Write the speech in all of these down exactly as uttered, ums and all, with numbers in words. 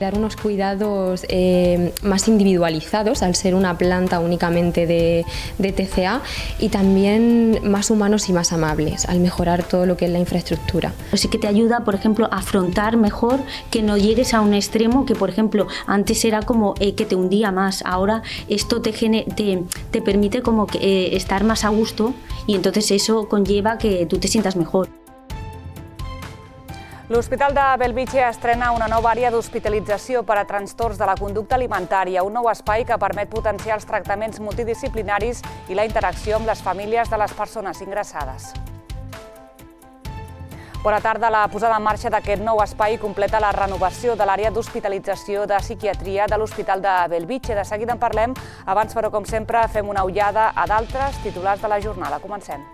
Dar unos cuidados eh, más individualizados al ser una planta únicamente de, de T C A y también más humanos y más amables al mejorar todo lo que es la infraestructura. Sí que te ayuda, por ejemplo, a afrontar mejor, que no llegues a un extremo que, por ejemplo, antes era como eh, que te hundía más. Ahora esto te, te, te permite como que, eh, estar más a gusto y entonces eso conlleva que tú te sientas mejor. L'Hospital de Bellvitge estrena una nova àrea d'hospitalització per a trastorns de la conducta alimentària, un nou espai que permet potenciar els tractaments multidisciplinaris i la interacció amb les famílies de les persones ingressades. Bona tarda. La posada en marxa d'aquest nou espai completa la renovació de l'àrea d'hospitalització de psiquiatria de l'Hospital de Bellvitge. De seguida en parlem, abans però, com sempre, fem una ullada a d'altres titulars de la jornada. Comencem.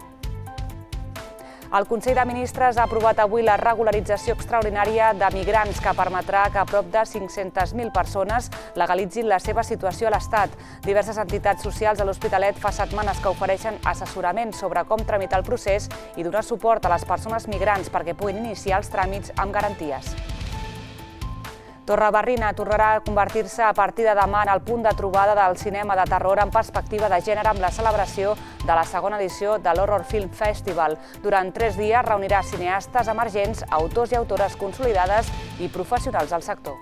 El Consell de Ministres ha aprovat avui la regularització extraordinària de migrants que permetrà que prop de cinc-centes mil persones legalitzin la seva situació a l'Estat. Diverses entitats socials de l'Hospitalet fa setmanes que ofereixen assessorament sobre com tramitar el procés i donar suport a les persones migrants perquè puguin iniciar els tràmits amb garanties. Torrebarrina tornarà a convertir-se a partir de demà en el punt de trobada del cinema de terror en perspectiva de gènere amb la celebració de la segona edició de l'Horror Film Festival. Durant tres dies reunirà cineastes emergents, autors i autores consolidades i professionals del sector.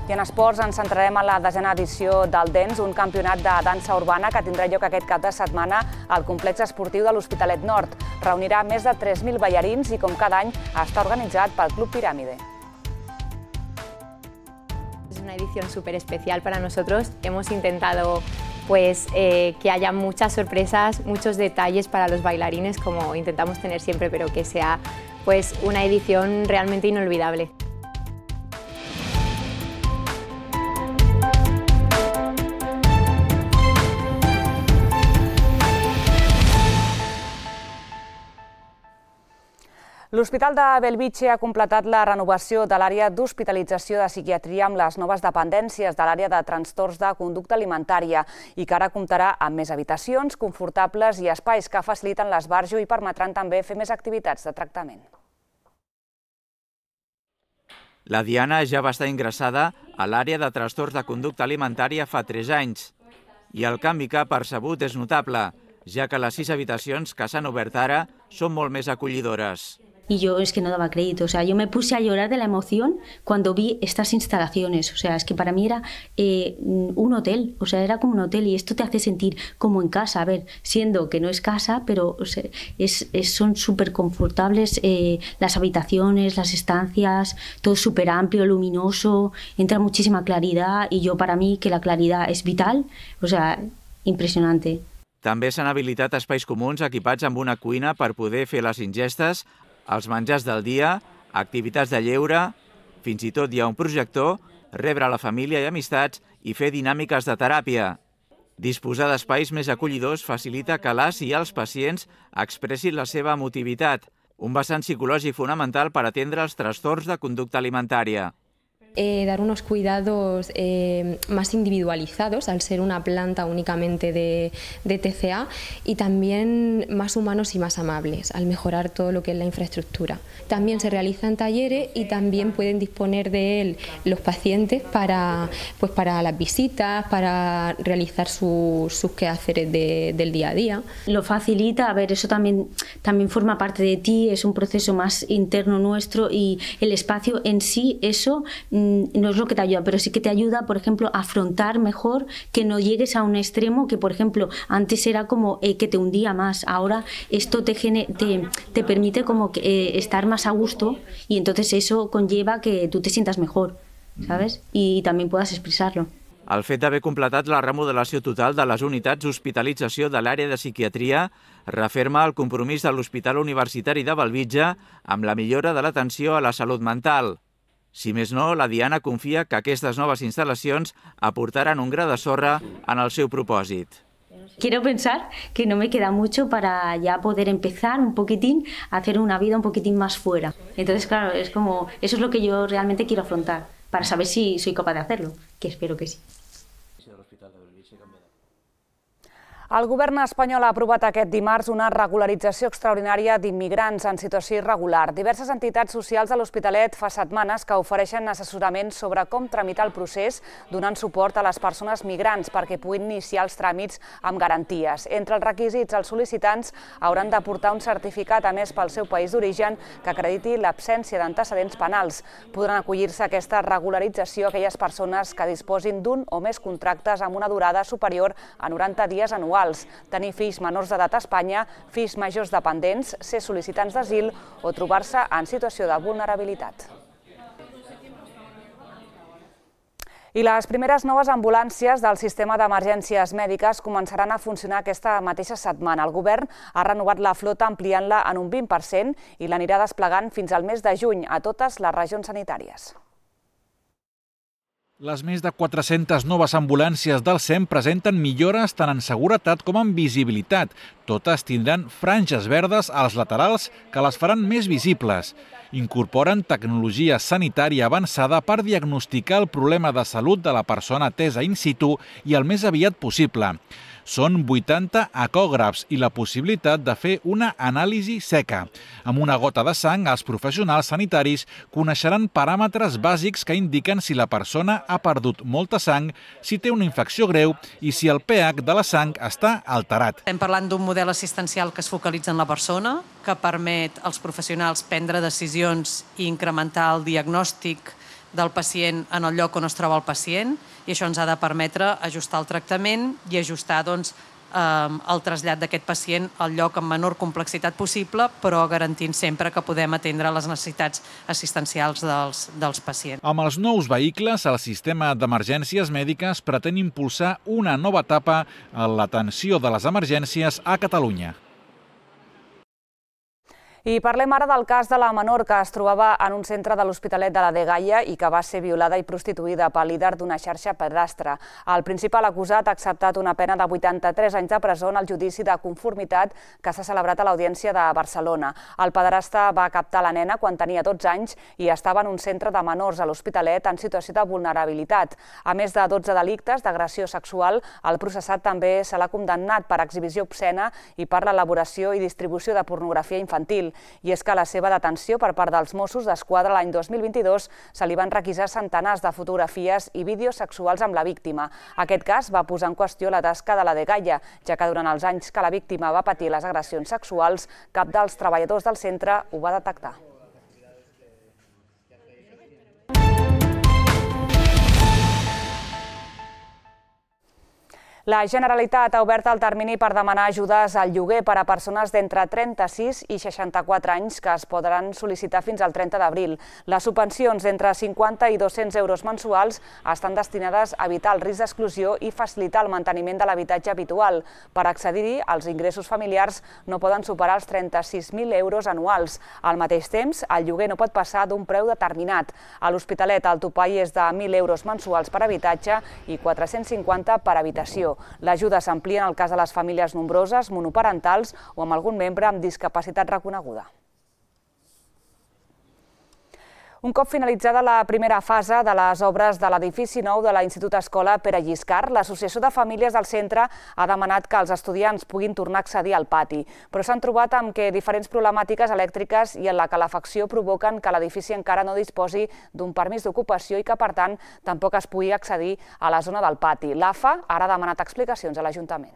I en esports ens centrarem en la desena edició del Dance, un campionat de dansa urbana que tindrà lloc aquest cap de setmana al complex esportiu de l'Hospitalet Nord. Reunirà més de tres mil ballarins i, com cada any, està organitzat pel Club Piràmide. Es una edición súper especial para nosotros. Hemos intentado pues, eh, que haya muchas sorpresas, muchos detalles para los bailarines, como intentamos tener siempre, pero que sea pues, una edición realmente inolvidable. L'Hospital de Bellvitge ha completat la renovació de l'àrea d'hospitalització de psiquiatria amb les noves dependències de l'àrea de trastorns de conducta alimentària i que ara comptarà amb més habitacions confortables i espais que faciliten l'esbarjo i permetran també fer més activitats de tractament. La Diana ja va estar ingressada a l'àrea de trastorns de conducta alimentària fa tres anys i el canvi que ha percebut és notable, ja que les sis habitacions que s'han obert ara són molt més acollidores. Y yo es que no daba crédito, o sea, yo me puse a llorar de la emoción cuando vi estas instalaciones, o sea, es que para mí era eh, un hotel, o sea, era como un hotel y esto te hace sentir como en casa, a ver, siendo que no es casa, pero o sea, es, es, son súper confortables eh, las habitaciones, las estancias, todo súper amplio, luminoso, entra muchísima claridad y yo para mí que la claridad es vital, o sea, impresionante. També s'han habilitat espais comuns equipats amb una cuina per poder fer les ingestes, els menjars del dia, activitats de lleure, fins i tot hi ha un projector, rebre la família i amistats i fer dinàmiques de teràpia. Disposar d'espais més acollidors facilita que les i els pacients expressin la seva emotivitat, un vessant psicològic fonamental per atendre els trastorns de conducta alimentària. Eh, dar unos cuidados eh, más individualizados al ser una planta únicamente de, de T C A y también más humanos y más amables al mejorar todo lo que es la infraestructura. También se realizan talleres y también pueden disponer de él los pacientes para, pues para las visitas, para realizar su, sus quehaceres de, del día a día. Lo facilita, a ver, eso también, también forma parte de ti, es un proceso más interno nuestro y el espacio en sí, eso no es lo que te ayuda, pero sí que te ayuda, por ejemplo, a afrontar mejor, que no llegues a un extremo que, por ejemplo, antes era como eh, que te hundía más. Ahora esto te, te, te permite como que, eh, estar más a gusto y entonces eso conlleva que tú te sientas mejor, ¿sabes? Y también puedas expresarlo. El fet d'haver completat la remodelació total de les unitats d'hospitalització de l'àrea de psiquiatria referma el compromís de l'Hospital Universitari de Bellvitge amb la millora de l'atenció a la salut mental. Si més no, la Diana confia que aquestes noves instal·lacions aportaran un gra de sorra en el seu propòsit. Quiero pensar que no me queda mucho para ya poder empezar un poquitín a hacer una vida un poquitín más fuera. Entonces, claro, es como, eso es lo que yo realmente quiero afrontar, para saber si soy capaz de hacerlo, que espero que sí. El govern espanyol ha aprovat aquest dimarts una regularització extraordinària d'immigrants en situació irregular. Diverses entitats socials de l'Hospitalet fa setmanes que ofereixen assessorament sobre com tramitar el procés, donant suport a les persones migrants perquè puguin iniciar els tràmits amb garanties. Entre els requisits, els sol·licitants hauran de portar un certificat emès pel seu país d'origen que acrediti l'absència d'antecedents penals. Podran acollir-se a aquesta regularització aquelles persones que disposin d'un o més contractes amb una durada superior a noranta dies anuals. Tenir fills menors d'edat a Espanya, fills majors dependents, ser sol·licitants d'asil o trobar-se en situació de vulnerabilitat. I les primeres noves ambulàncies del sistema d'emergències mèdiques començaran a funcionar aquesta mateixa setmana. El govern ha renovat la flota ampliant-la en un vint per cent i l'anirà desplegant fins al mes de juny a totes les regions sanitàries. Les més de quatre-centes noves ambulàncies del SEM presenten millores tant en seguretat com en visibilitat. Totes tindran franges verdes als laterals que les faran més visibles. Incorporen tecnologia sanitària avançada per diagnosticar el problema de salut de la persona atesa in situ i el més aviat possible. Són vuitanta ecògrafs i la possibilitat de fer una anàlisi seca. Amb una gota de sang, els professionals sanitaris coneixeran paràmetres bàsics que indiquen si la persona ha perdut molta sang, si té una infecció greu i si el pH de la sang està alterat. Estem parlant d'un model assistencial que es focalitza en la persona, que permet als professionals prendre decisions i incrementar el diagnòstic del pacient en el lloc on es troba el pacient, i això ens ha de permetre ajustar el tractament i ajustar doncs, el trasllat d'aquest pacient al lloc amb menor complexitat possible, però garantint sempre que podem atendre les necessitats assistencials dels, dels pacients. Amb els nous vehicles, el sistema d'emergències mèdiques pretén impulsar una nova etapa en l'atenció de les emergències a Catalunya. I parlem ara del cas de la menor que es trobava en un centre de l'Hospitalet de la Dgaia i que va ser violada i prostituïda pel líder d'una xarxa pedastre. El principal acusat ha acceptat una pena de vuitanta-tres anys de presó en el judici de conformitat que s'ha celebrat a l'Audiència de Barcelona. El pederasta va captar la nena quan tenia dotze anys i estava en un centre de menors a l'Hospitalet en situació de vulnerabilitat. A més de dotze delictes d'agressió sexual, el processat també se l'ha condemnat per exhibició obscena i per l'elaboració i distribució de pornografia infantil. I és que a la seva detenció per part dels Mossos d'Esquadra l'any dos mil vint-i-dos se li van requisar centenars de fotografies i vídeos sexuals amb la víctima. Aquest cas va posar en qüestió la tasca de la Dgaia, ja que durant els anys que la víctima va patir les agressions sexuals, cap dels treballadors del centre ho va detectar. La Generalitat ha obert el termini per demanar ajudes al lloguer per a persones d'entre trenta-sis i seixanta-quatre anys que es podran sol·licitar fins al trenta d'abril. Les subvencions d'entre cinquanta i dos-cents euros mensuals estan destinades a evitar el risc d'exclusió i facilitar el manteniment de l'habitatge habitual. Per accedir-hi, els ingressos familiars no poden superar els trenta-sis mil euros anuals. Al mateix temps, el lloguer no pot passar d'un preu determinat. A l'Hospitalet, el topall és de mil euros mensuals per habitatge i quatre-cents cinquanta per habitació. L'ajuda s'amplia en el cas de les famílies nombroses, monoparentals o amb algun membre amb discapacitat reconeguda. Un cop finalitzada la primera fase de les obres de l'edifici nou de l'Institut Escola Pere Lliscar, l'Associació de Famílies del centre ha demanat que els estudiants puguin tornar a accedir al pati, però s'han trobat amb que diferents problemàtiques elèctriques i en la calefacció provoquen que l'edifici encara no disposi d'un permís d'ocupació i que, per tant, tampoc es pugui accedir a la zona del pati. L'A F A ara ha demanat explicacions a l'Ajuntament.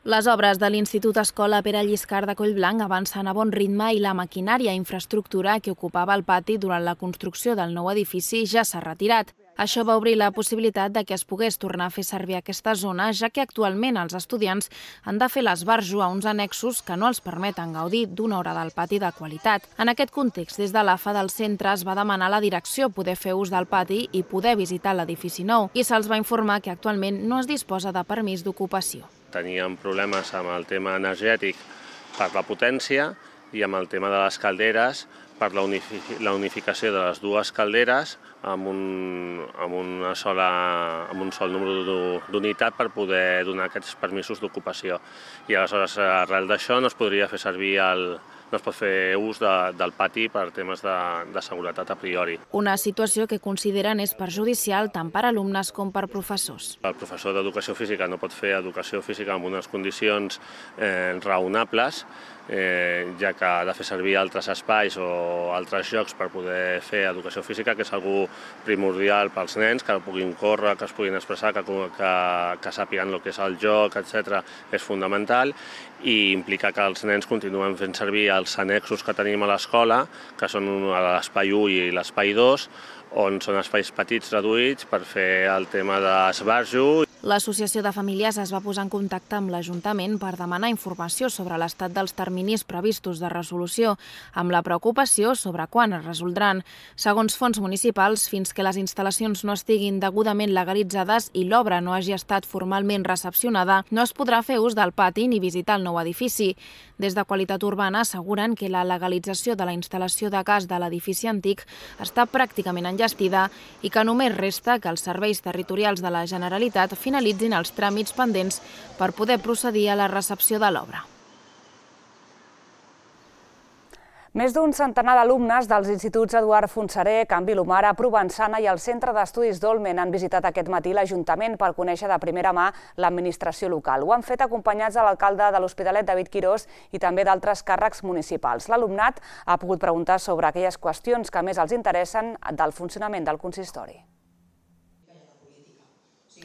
Les obres de l'Institut Escola Pere Lliscar de Collblanc avancen a bon ritme i la maquinària i infraestructura que ocupava el pati durant la construcció del nou edifici ja s'ha retirat. Això va obrir la possibilitat de que es pogués tornar a fer servir aquesta zona, ja que actualment els estudiants han de fer l'esbarjo a uns annexos que no els permeten gaudir d'una hora del pati de qualitat. En aquest context, des de l'A F A del centre es va demanar a la direcció poder fer ús del pati i poder visitar l'edifici nou, i se'ls va informar que actualment no es disposa de permís d'ocupació. Teníem problemes amb el tema energètic per la potència i amb el tema de les calderes per la unificació de les dues calderes amb un, amb una sola, amb un sol número d'unitat per poder donar aquests permisos d'ocupació. I aleshores, arrel d'això, no es podria fer servir el, no es pot fer ús de, del pati per temes de, de seguretat a priori. Una situació que consideren és perjudicial tant per alumnes com per professors. El professor d'educació física no pot fer educació física en unes condicions eh, raonables, eh, ja que ha de fer servir altres espais o altres jocs per poder fer educació física, que és algo primordial pels nens, que puguin córrer, que es puguin expressar, que, que, que sàpiguen el que és el joc, etcètera, és fundamental, i implica que els nens continuen fent servir els annexos que tenim a l'escola, que són l'espai u i l'espai dos, on són espais petits reduïts per fer el tema d'esbarjo. L'Associació de Famílies es va posar en contacte amb l'Ajuntament per demanar informació sobre l'estat dels terminis previstos de resolució, amb la preocupació sobre quan es resoldran. Segons fonts municipals, fins que les instal·lacions no estiguin degudament legalitzades i l'obra no hagi estat formalment recepcionada, no es podrà fer ús del pati ni visitar el nou edifici. Des de Qualitat Urbana asseguren que la legalització de la instal·lació de gas de l'edifici antic està pràcticament enllestida i que només resta que els serveis territorials de la Generalitat finalitzin els tràmits pendents per poder procedir a la recepció de l'obra. Més d'un centenar d'alumnes dels instituts Eduard Fontserè, Can Vilomara, Provençana i el Centre d'Estudis Dolmen han visitat aquest matí l'Ajuntament per conèixer de primera mà l'administració local. Ho han fet acompanyats de l'alcalde de l'Hospitalet, David Quirós, i també d'altres càrrecs municipals. L'alumnat ha pogut preguntar sobre aquelles qüestions que més els interessen del funcionament del consistori.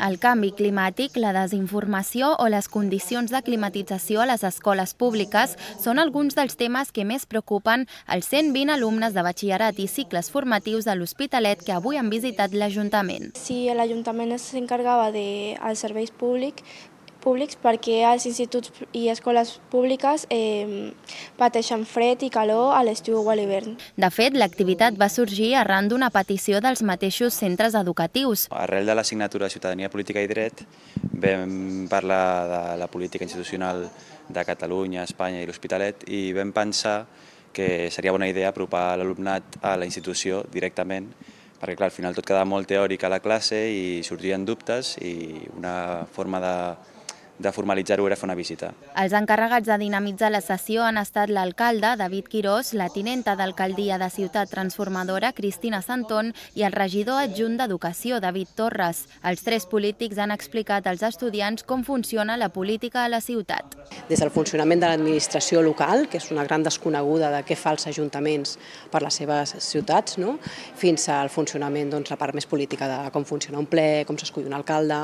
El canvi climàtic, la desinformació o les condicions de climatització a les escoles públiques són alguns dels temes que més preocupen els cent vint alumnes de batxillerat i cicles formatius de l'Hospitalet que avui han visitat l'Ajuntament. Si l'Ajuntament s'encarregava dels serveis públics, públics perquè els instituts i escoles públiques eh, pateixen fred i calor a l'estiu o a l'hivern. De fet, l'activitat va sorgir arran d'una petició dels mateixos centres educatius. Arrel de l'assignatura de Ciutadania, Política i Dret vam parlar de la política institucional de Catalunya, Espanya i l'Hospitalet i vam pensar que seria bona idea apropar l'alumnat a la institució directament, perquè clar, al final tot quedava molt teòric a la classe i sorgien dubtes i una forma de de formalitzar-ho era fer una visita. Els encarregats de dinamitzar la sessió han estat l'alcalde, David Quirós, la tinenta d'alcaldia de Ciutat Transformadora, Cristina Santón, i el regidor adjunt d'Educació, David Torres. Els tres polítics han explicat als estudiants com funciona la política a la ciutat. Des del funcionament de l'administració local, que és una gran desconeguda de què fa els ajuntaments per les seves ciutats, no? Fins al funcionament, doncs, la part més política de com funciona un ple, com s'escull un alcalde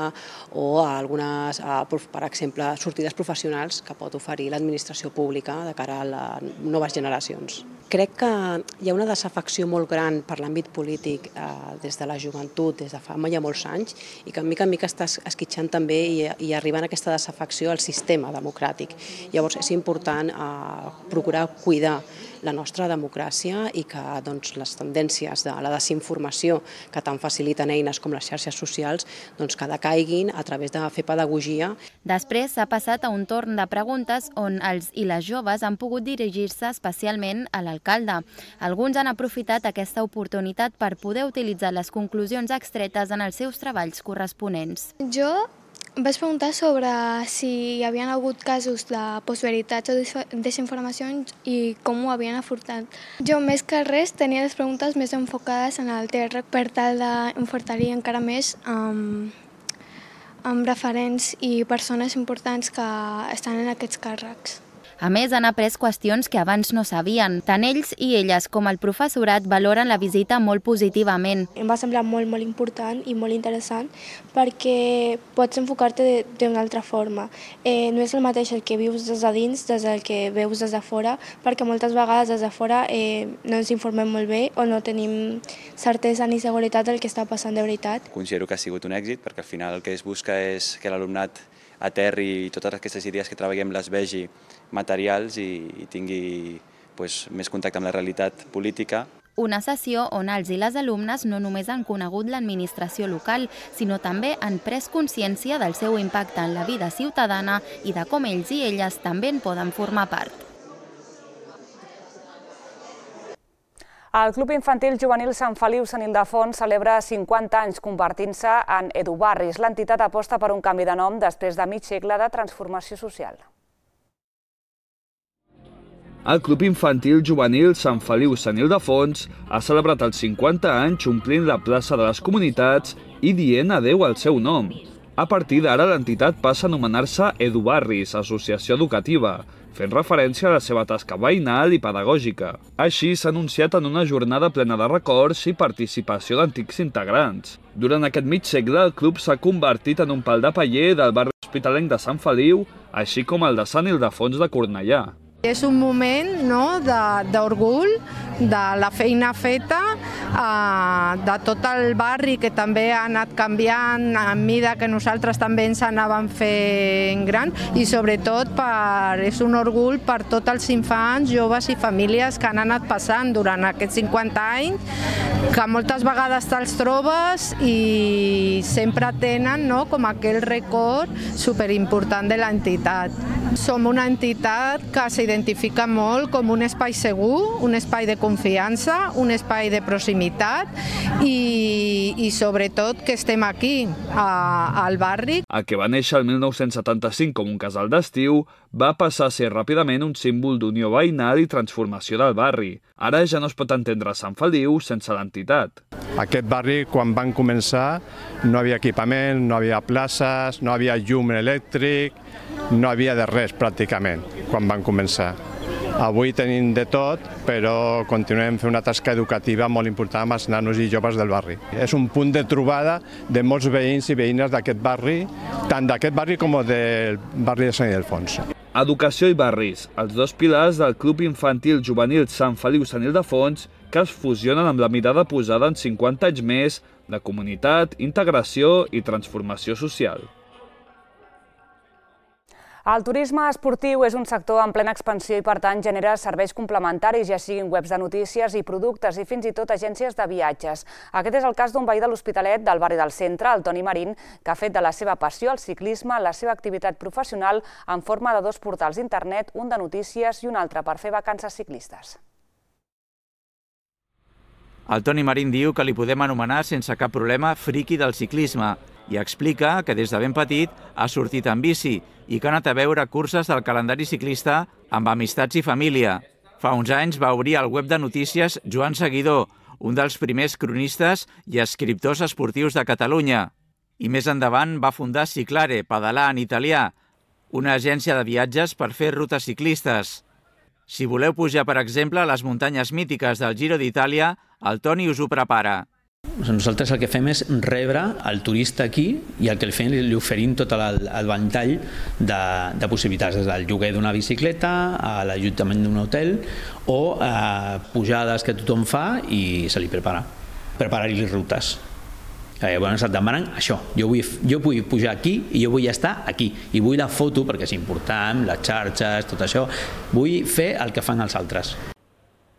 o algunes, per exemple, sortides professionals que pot oferir l'administració pública de cara a les noves generacions. Crec que hi ha una desafecció molt gran per l'àmbit polític eh, des de la joventut, des de fa ja molts anys, i que mica en mica està esquitxant també i, i arribant a aquesta desafecció al sistema democràtic. Llavors és important eh, procurar cuidar la nostra democràcia i que doncs, les tendències de la desinformació que tant faciliten eines com les xarxes socials doncs, que decaiguin a través de fer pedagogia. Després s'ha passat a un torn de preguntes on els i les joves han pogut dirigir-se especialment a l'alcalde. Alguns han aprofitat aquesta oportunitat per poder utilitzar les conclusions extretes en els seus treballs corresponents. Jo vaig preguntar sobre si hi havia hagut casos de postveritats o desinformacions i com ho havien afrontat. Jo, més que res, tenia les preguntes més enfocades en el T R per tal d'enfortir encara més amb, amb referents i persones importants que estan en aquests càrrecs. A més, han après qüestions que abans no sabien. Tant ells i elles com el professorat valoren la visita molt positivament. Em va semblar molt, molt important i molt interessant perquè pots enfocar-te d'una altra forma. Eh, no és el mateix el que vius des de dins des del que veus des de fora, perquè moltes vegades des de fora eh, no ens informem molt bé o no tenim certesa ni seguretat del que està passant de veritat. Considero que ha sigut un èxit perquè al final el que es busca és que l'alumnat aterri i totes aquestes idees que treballem les vegi materials i, i tingui pues, més contacte amb la realitat política. Una sessió on els i les alumnes no només han conegut l'administració local, sinó també han pres consciència del seu impacte en la vida ciutadana i de com ells i elles també en poden formar part. El Club Infantil Juvenil Sant Feliu Sant Ildefons celebra cinquanta anys convertint-se en Edubarris. L'entitat aposta per un canvi de nom després de mig segle de transformació social. El Club Infantil Juvenil Sant Feliu Sant Ildefons ha celebrat els cinquanta anys omplint la plaça de les comunitats i dient adeu al seu nom. A partir d'ara, l'entitat passa a anomenar-se EduBarris, Associació Educativa, fent referència a la seva tasca veïnal i pedagògica. Així s'ha anunciat en una jornada plena de records i participació d'antics integrants. Durant aquest mig segle, el club s'ha convertit en un pal de paller del barri hospitalenc de Sant Feliu, així com el de Sant Ildefons de Cornellà. És un moment d'orgull de la feina feta, de tot el barri que també ha anat canviant a mida que nosaltres també ens anàvem fent gran i sobretot és un orgull per tots els infants, joves i famílies que han anat passant durant aquests cinquanta anys, que moltes vegades te'ls trobes i sempre tenen com aquell record superimportant de l'entitat. Som una entitat que s'identifica molt com un espai segur, un espai de confiança, un espai de proximitat i, i sobretot que estem aquí, a, al barri. El que va néixer el mil nou-cents setanta-cinc com un casal d'estiu va passar a ser ràpidament un símbol d'unió veïnal i transformació del barri. Ara ja no es pot entendre Sant Feliu sense l'entitat. Aquest barri, quan van començar, no havia equipament, no havia places, no havia llum elèctric, no havia de res pràcticament quan van començar. Avui tenim de tot, però continuem fent una tasca educativa molt important amb els nanos i joves del barri. És un punt de trobada de molts veïns i veïnes d'aquest barri, tant d'aquest barri com del barri de Sant Ildefons. Educació i barris, els dos pilars del Club Infantil Juvenil Sant Feliu Sant Ildefons, que es fusionen amb la mirada posada en cinquanta anys més de comunitat, integració i transformació social. El turisme esportiu és un sector en plena expansió i, per tant, genera serveis complementaris, ja siguin webs de notícies i productes i fins i tot agències de viatges. Aquest és el cas d'un veí de l'Hospitalet del barri del Centre, el Toni Marín, que ha fet de la seva passió al ciclisme la seva activitat professional en forma de dos portals d'internet, un de notícies i un altre per fer vacances ciclistes. El Toni Marín diu que li podem anomenar sense cap problema friqui del ciclisme i explica que des de ben petit ha sortit en bici i que ha anat a veure curses del calendari ciclista amb amistats i família. Fa uns anys va obrir el web de notícies Joan Seguidor, un dels primers cronistes i escriptors esportius de Catalunya. I més endavant va fundar Ciclare, pedalar en italià, una agència de viatges per fer rutes ciclistes. Si voleu pujar, per exemple, a les muntanyes mítiques del Giro d'Itàlia, el Toni us ho prepara. Nosaltres el que fem és rebre el turista aquí i el que li fem li oferim tot el, el ventall de, de possibilitats, des del lloguer d'una bicicleta a l'allotjament d'un hotel o eh, pujades que tothom fa i se li prepara, preparar-li rutes. Eh, bueno, et demanen això, jo vull, jo vull pujar aquí i jo vull estar aquí i vull la foto perquè és important, les xarxes, tot això, vull fer el que fan els altres.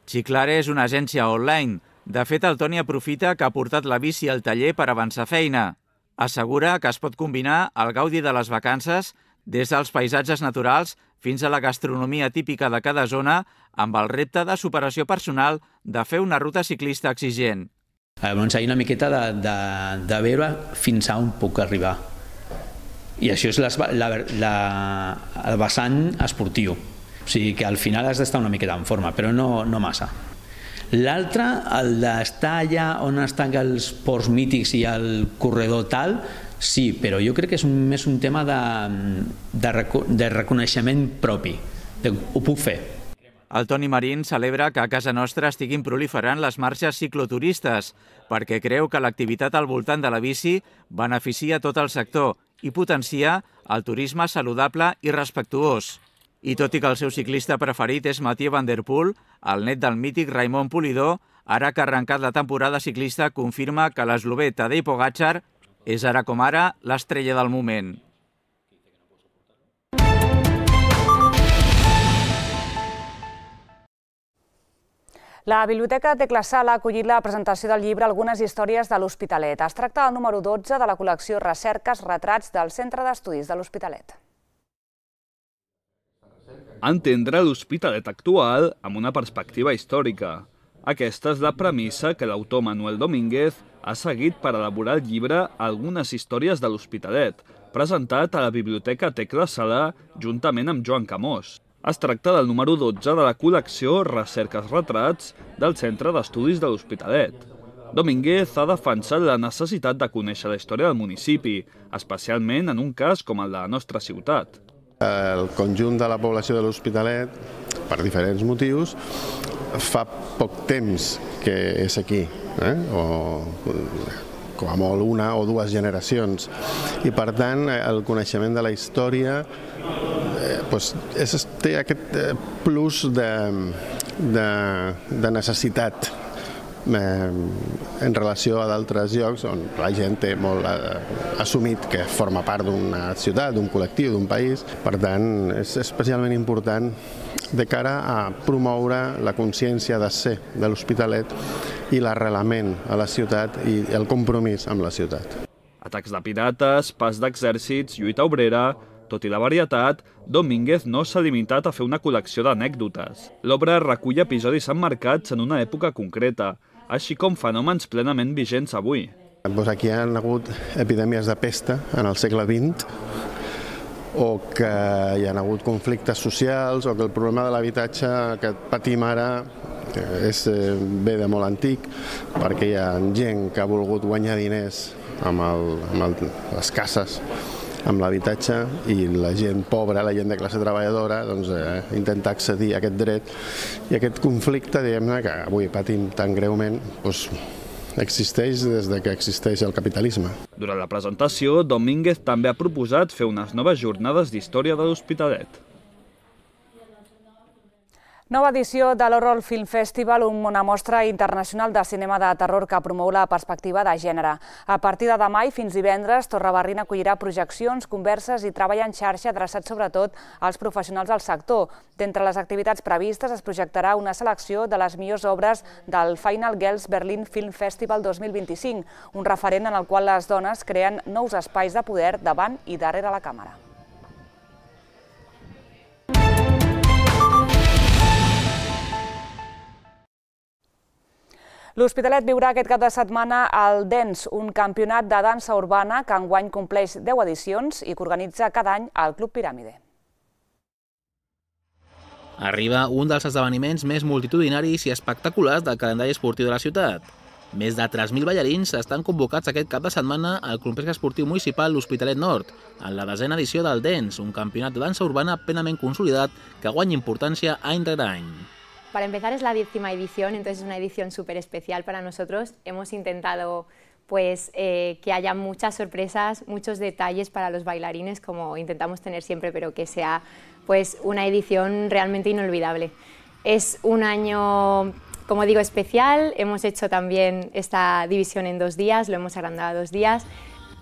Ciclare és una agència online. De fet, el Toni aprofita que ha portat la bici al taller per avançar feina. Assegura que es pot combinar el gaudi de les vacances des dels paisatges naturals fins a la gastronomia típica de cada zona amb el repte de superació personal de fer una ruta ciclista exigent. Llavors, hi ha una miqueta de, de, de veure fins a on puc arribar. I això és la, la, la, el vessant esportiu. O sigui que al final has d'estar una miqueta en forma, però no, no massa. L'altre, el d'estar allà on estan els ports mítics i el corredor tal, sí, però jo crec que és un, més un tema de, de, de reconeixement propi, de, ho puc fer. El Toni Marín celebra que a casa nostra estiguin proliferant les marxes cicloturistes, perquè creu que l'activitat al voltant de la bici beneficia tot el sector i potencia el turisme saludable i respectuós. I tot i que el seu ciclista preferit és Mathieu Van Der Poel, el net del mític Raimon Polidor, ara que ha arrencat la temporada ciclista, confirma que l'eslovè Tadej Pogačar és ara com ara l'estrella del moment. La Biblioteca Tecla Sala ha acollit la presentació del llibre Algunes històries de l'Hospitalet. Es tracta del número dotze de la col·lecció Recerques Retrats del Centre d'Estudis de l'Hospitalet. Entendre l'Hospitalet actual amb una perspectiva històrica. Aquesta és la premissa que l'autor Manuel Domínguez ha seguit per elaborar el llibre Algunes històries de l'Hospitalet, presentat a la Biblioteca Tecla Sala juntament amb Joan Camós. Es tracta del número dotze de la col·lecció Recerques Retrats del Centre d'Estudis de l'Hospitalet. Domínguez ha defensat la necessitat de conèixer la història del municipi, especialment en un cas com el de la nostra ciutat. El conjunt de la població de l'Hospitalet, per diferents motius, fa poc temps que és aquí, eh? o com a molt una o dues generacions. I per tant, el coneixement de la història eh, pues, és, té aquest plus de, de, de necessitat en relació a d'altres llocs on la gent té molt assumit que forma part d'una ciutat, d'un col·lectiu, d'un país. Per tant, és especialment important de cara a promoure la consciència de ser de l'Hospitalet i l'arrelament a la ciutat i el compromís amb la ciutat. Atacs de pirates, pas d'exèrcits, lluita obrera... Tot i la varietat, Domínguez no s'ha limitat a fer una col·lecció d'anècdotes. L'obra recull episodis emmarcats en una època concreta, així com fenòmens plenament vigents avui. Doncs aquí hi ha hagut epidèmies de pesta en el segle vint, o que hi ha hagut conflictes socials, o que el problema de l'habitatge que patim ara és bé de molt antic, perquè hi ha gent que ha volgut guanyar diners amb, el, amb el, les cases, amb l'habitatge, i la gent pobra, la gent de classe treballadora, doncs, eh, intenta accedir a aquest dret, i aquest conflicte, diguem-ne, que avui patim tan greument, doncs, existeix des de que existeix el capitalisme. Durant la presentació, Domínguez també ha proposat fer unes noves jornades d'història de l'Hospitalet. Nova edició de l'Horror Film Festival, una mostra internacional de cinema de terror que promou la perspectiva de gènere. A partir de demà i fins divendres, Torrebarrina acollirà projeccions, converses i treball en xarxa adreçat sobretot als professionals del sector. D'entre les activitats previstes es projectarà una selecció de les millors obres del Final Girls Berlin Film Festival dos mil vint-i-cinc, un referent en el qual les dones creen nous espais de poder davant i darrere la càmera. L'Hospitalet viurà aquest cap de setmana el Dance, un campionat de dansa urbana que enguany compleix deu edicions i que organitza cada any el Club Piràmide. Arriba un dels esdeveniments més multitudinaris i espectaculars del calendari esportiu de la ciutat. Més de tres mil ballarins estan convocats aquest cap de setmana al complex esportiu municipal L'Hospitalet Nord, en la desena edició del Dance, un campionat de dansa urbana plenament consolidat que guanya importància any rere any. Para empezar, es la décima edición, entonces es una edición súper especial para nosotros. Hemos intentado pues, eh, que haya muchas sorpresas, muchos detalles para los bailarines, como intentamos tener siempre, pero que sea pues, una edición realmente inolvidable. Es un año, como digo, especial. Hemos hecho también esta división en dos días, lo hemos agrandado a dos días.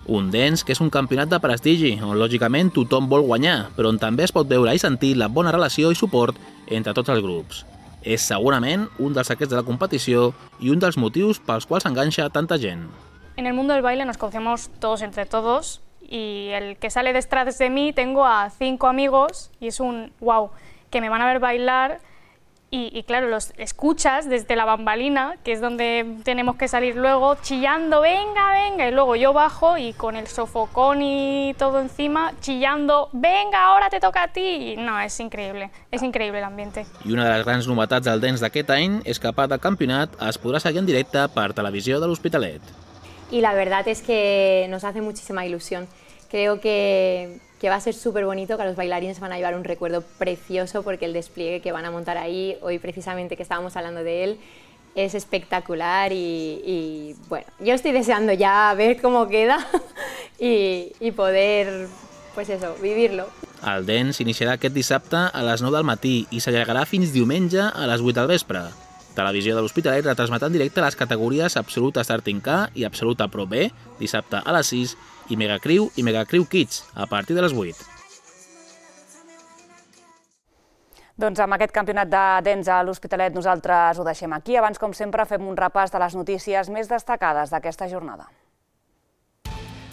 Un Dance que és un campionat de prestigi, on lògicament tothom vol guanyar, però on també es pot veure i sentir la bona relació i suport entre tots els grups. És segurament un dels secrets de la competició i un dels motius pels quals enganxa tanta gent. En el mundo del baile nos conocemos todos entre todos y el que sale detrás de mí tengo a cinco amigos y es un wow, que me van a ver bailar y, y claro, los escuchas desde la bambalina, que es donde tenemos que salir luego chillando, venga, venga, y luego yo bajo y con el sofocón y todo encima, chillando, venga, ahora te toca a ti. No, es increíble, es increíble el ambiente. I una de les grans novetats del Dance d'aquest any és que a part del campionat es podrà seguir en directe per televisió de l'Hospitalet. Y la verdad es que nos hace muchísima ilusión. Creo que, que va a ser súper bonito, que los bailarines van a llevar un recuerdo precioso porque el despliegue que van a montar ahí, hoy precisamente que estábamos hablando de él, es espectacular y, y bueno, yo estoy deseando ya ver cómo queda y, y poder, pues eso, vivirlo. El Dance s'iniciarà aquest dissabte a les nou del matí i s'allargarà fins diumenge a les vuit del vespre. Televisió de l'Hospitalet retransmetrà en directe les categories Absoluta Starting K i Absoluta Pro B, dissabte a les sis, i Megacriu i Megacriu Kids, a partir de les vuit. Doncs amb aquest campionat de Dance a l'Hospitalet nosaltres ho deixem aquí. Abans, com sempre, fem un repàs de les notícies més destacades d'aquesta jornada.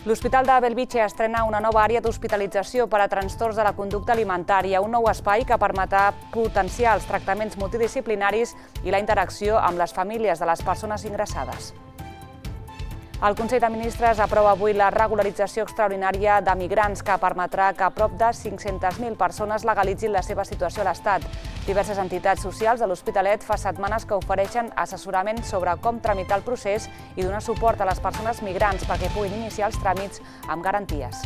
L'Hospital de Bellvitge estrena una nova àrea d'hospitalització per a trastorns de la conducta alimentària, un nou espai que permetrà potenciar els tractaments multidisciplinaris i la interacció amb les famílies de les persones ingressades. El Consell de Ministres aprova avui la regularització extraordinària de migrants que permetrà que prop de cinc-centes mil persones legalitzin la seva situació a l'Estat. Diverses entitats socials de l'Hospitalet fa setmanes que ofereixen assessorament sobre com tramitar el procés i donar suport a les persones migrants perquè puguin iniciar els tràmits amb garanties.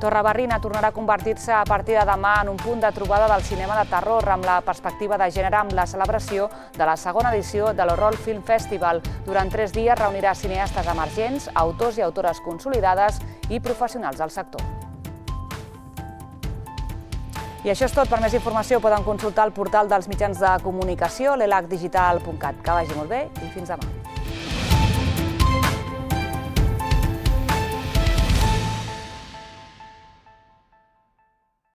Torrebarrina tornarà a convertir-se a partir de demà en un punt de trobada del cinema de terror amb la perspectiva de gènere amb la celebració de la segona edició de l'Horror Film Festival. Durant tres dies reunirà cineastes emergents, autors i autores consolidades i professionals del sector. I això és tot. Per més informació poden consultar el portal dels mitjans de comunicació, l'elac digital punt cat. Que vagi molt bé i fins demà.